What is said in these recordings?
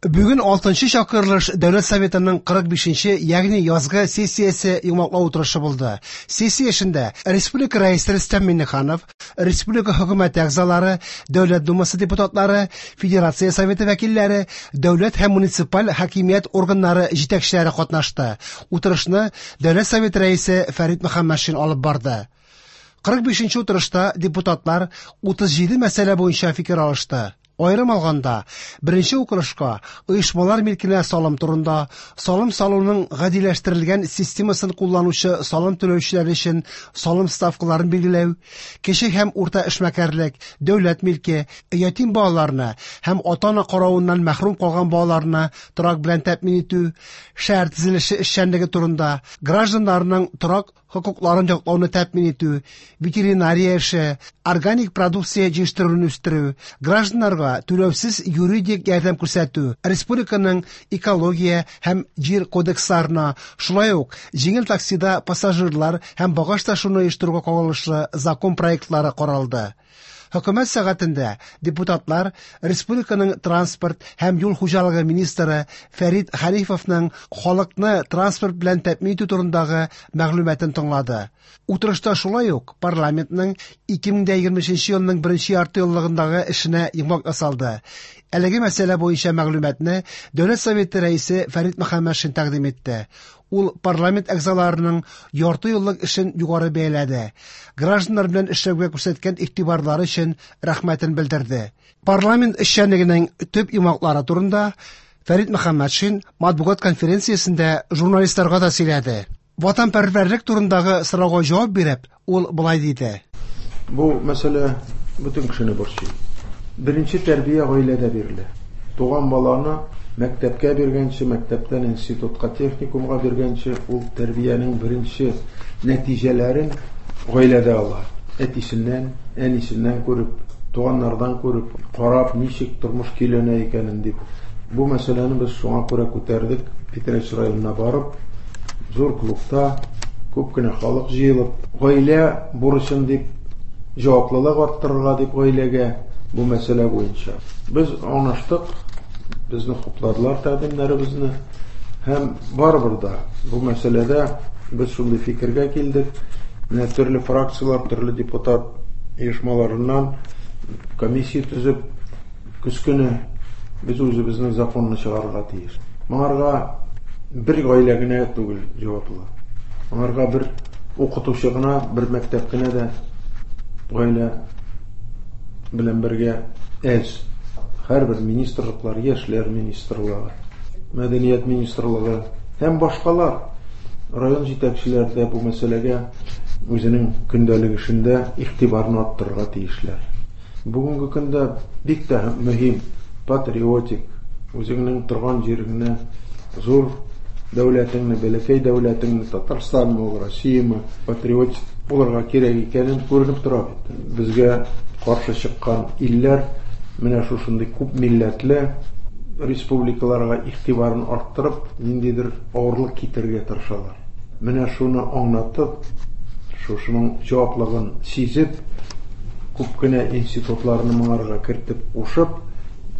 Бүген 6нчы чакырылыш Дәүләт Советының 45нче, ягъни язгы сессиясе йомгаклау утырышы булды. Сессия эшендә Республика Рәисе Рөстәм Миңнеханов, Республика Хөкүмәте әгъзалары, Дәүләт Думасы депутатлары, Федерация Советы вәкилләре, дәүләт һәм муниципаль хакимият органнары җитәкчеләре катнашты. Утырышны Дәүләт Советы Рәисе Фәрит Мөхәммәтшин алып барды. 45нче утырышта депутатлар 37 мәсьәлә буенча фикер алышты. Аерым алганда, беренче укылышка оешмалар милкенә салым турында, салым салуның гадиләштерелгән системасын кулланучы салым түләүчеләр өчен салым ставкаларын билгеләү, кече һәм урта эшмәкәрлек, дәүләт милке, ятим балаларны һәм ата-ана каравыннан мәхрүм калган балаларны торак белән тәэмин итү, шәһәр төзелеше эшчәнлеге турында, гражданнарның торак хокукларын яклауны тәэмин итү, ветеринария эше, органик продукция җитештерүне үстерү, гражданнарга түләүсез юридик ярдәм күрсәтү, республиканың экология һәм җир кодексларына, шулай ук җиңел таксида пассажирлар һәм багаж ташуны оештыруга кагылышлы закон проектлары каралды. Хөкүмәт сәгатендә депутатлар республиканың транспорт һәм юл хуҗалыгы министры Фәрит Хәнифовның халыкны транспорт белән тәэмин итү турындагы мәгълүматын тыңлады. Утырышта шулай ук парламентның 2023 елның беренче яртыеллыгындагы эшенә йомгак ясалды. Әлеге мәсьәлә буенча мәгълүматны Дәүләт Советы рәисе Фәрит Мөхәммәтшин тәкъдим итте. Ул парламент әгъзаларының ярты еллык эшен югары бәяләде. Гражданнар белән эшләүгә күрсәткән игътибарлары өчен рәхмәтен белдерде. Парламент эшчәнлегенең төп йомгаклары турында Фәрит Мөхәммәтшин матбугат конференциясендә журналистларга да сөйләде. Ватанпәрвәрлек турындагы сорауга җавап биреп, ул болай диде. Бу мәсьәлә бөтен кешене борчый. Беренче тәрбия гаиләдә бирелә. Туган баланы мәктәпкә биргәнче, мәктәптән институтка, техникумга биргәнче, ул тәрбиянең беренче нәтиҗәләрен гаиләдә ала. Әтисеннән, әнисеннән күреп, туганнардан күреп, карап, ничек тормыш көйләнә икәнен дип. Бу мәсьәләне без шуңа күрә күтәрдек. Питрәч районына барып, зур клубта күп кенә халык җыелып, гаилә бурычын дип, җаваплылык арттырырга дип гаиләгә бу мәсьәлә буенча. Без аңлаштык, безне хупладылар тәкъдимнәребезне һәм барыбер да бу мәсьәләдә без шундый фикергә килдек. Менә төрле фракцияләр, төрле депутат оешмаларыннан комиссия төзеп, көз көне без үзебезнең законны чыгарырга тиеш. Моңарга бер гаилә генә түгел җаваплы. Моңарга бер укытучы гына, бер мәктәп кенә дә гаилә белән бергә әз. Һәрбер министрлыклар, яшьләр министрлыгы, мәдәният министрлыгы һәм башкалар район җитәкчеләре дә бу мәсьәләгә үзенең көндәлек эшендә игътибарны арттырырга тиешләр. Бүгенге көндә бик тә мөһим патриотик, үзеңнең торган җиреңне, зур дәүләтеңне, бәләкәй дәүләтеңне, Татарстанмы ул, Россиямы, патриотик булырга кирәк икәнен күренеп тора бит. Безгә каршы чыккан илләр менә шушындый күп милләтле республикаларга игътибарын арттырып, ниндидер авырлык китерергә тырышалар. Менә шуны аңлатып, шушының җаваплыгын сизеп, күп кенә институтларны моңарга кертеп кушып,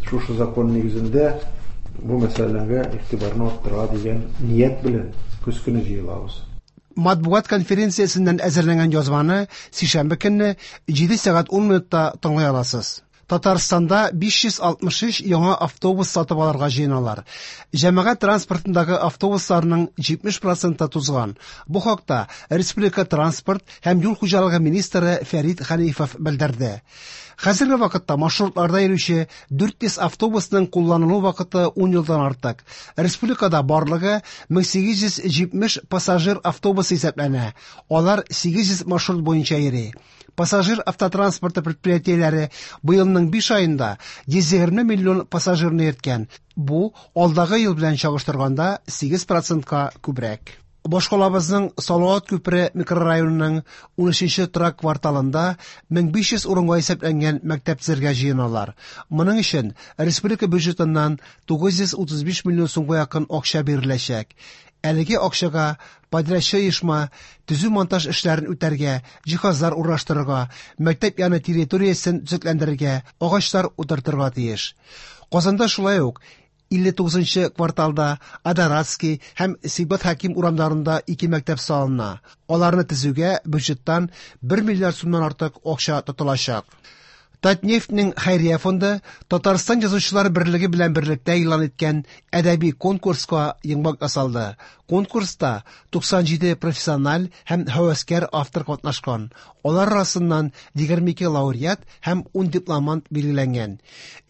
шушы закон нигезендә бу мәсьәләгә игътибарны арттырырга дигән ният белән көз көне җыелабыз. Матбугат конференциясеннән әзерләнгән язманы сишәмбе көнне 7 сәгать 10 минутта тыңлый аласыз. Татарстанда 563 яңа автобус сатып алырга җыеналар. Җәмәгать транспортындагы автобусларның 70% тузган. Бу хакта Республика транспорт һәм юл хуҗалыгы министры Фәрит Хәнифов белдерде. Хәзерге вакытта маршрутларда йөрүче 400 автобусның кулланылу вакыты 10 елдан артык. Республикада барлыгы 1870 пассажир автобусы исәпләнә. Алар 800 маршрут буенча йөри. Пассажир автотранспорты предприятиеләре быелның 5 аенда 120 миллион пассажирны йөрткән. Бу алдагы ел белән чагыштырганда 8%-ка күбрәк. Башкалабызның Салават күпере микрорайонының 13нче торак кварталында 1500 урынга исәпләнгән мәктәп төзергә җыеналар. Моның өчен республика бюджетыннан 935 миллион сумга якын акча биреләчәк. Әлеге акчага подрядчы оешма төзү-монтаж эшләрен үтәргә, җиһазлар урнаштырырга, мәктәп яны территориясен төзекләндерергә, агачлар утыртырга тиеш. Казанда шулай ук 59 нчы кварталда Адоратский һәм Сибгат Хәким урамнарында ике мәктәп салына. Аларны төзүгә бюджеттан 1 миллиард сумнан артык акча тотылачак. Татнефтьнең хәйрия фонды Татарстан Язучылар берлеге белән берлектә игълан иткән әдәби конкурска йомгак ясалды. Конкурста 97 профессиональ һәм һәвәскәр автор катнашкан. Алар арасыннан 22 лауреат һәм 10 дипломант билгеләнгән.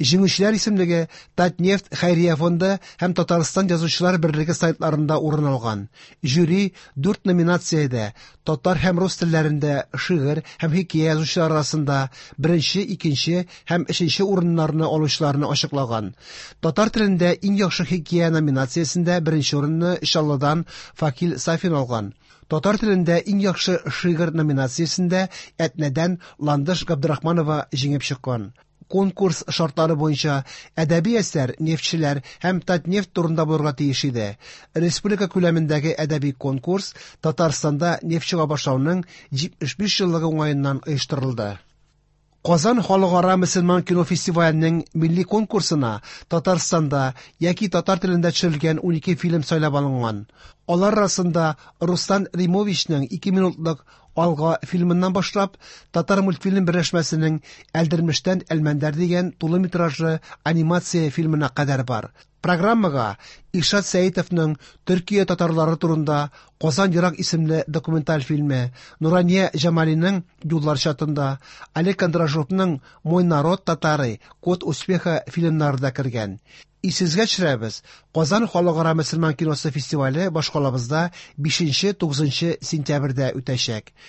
Җиңүчеләр исемлеге Татнефть хәйрия фонды һәм Татарстан Язучылар берлеге сайтларында урын алган. Жюри дүрт номинациядә татар һәм рус телләрендә шигырь һәм хикәя язучылар арасында беренче, икенче һәм өченче урыннарны алучыларны ачыклаган. Татар телендә иң яхшы хикәя номинациясендә беренче урынны Чаллыдан Факил Сафин алган. Татар телендә иң яхшы шигырь номинациясендә Әтнәдән Ландыш Габдрахманова җиңеп чыккан. Конкурс шартлары буенча әдәби әсәр нефтьчеләр һәм Татнефть турында булырга тиеш иде. Республика күләмендәге әдәби конкурс Татарстанда нефть чыга башлауның 75 еллыгы уңаеннан оештырылды. Казан халыкара мөселман кино фестиваленең милли конкурсына Татарстанда яки татар телендә төшерелгән 12 фильм сайлап алынган. Алар арасында Руслан Римовичның 2 минутлык Алга фильмыннан башлап, Татар мультфильм берләшмәсенең Әлдермештән Әлмәндәр дигән тулы метражлы анимация фильмына кадәр бар. Программага Илшат Сәетовның Төркия татарлары турында Казан ерак исемле документаль фильмы, Нурания Җамалиның Юллар чатында, Олег Кондрашовның Мой народ татары, Код успеха фильмнары да кергән. Исегезгә төшерәбез, Казан халыкара мөселман киносы фестивале башкалабызда 5-9 сентябрьдә үтәчәк.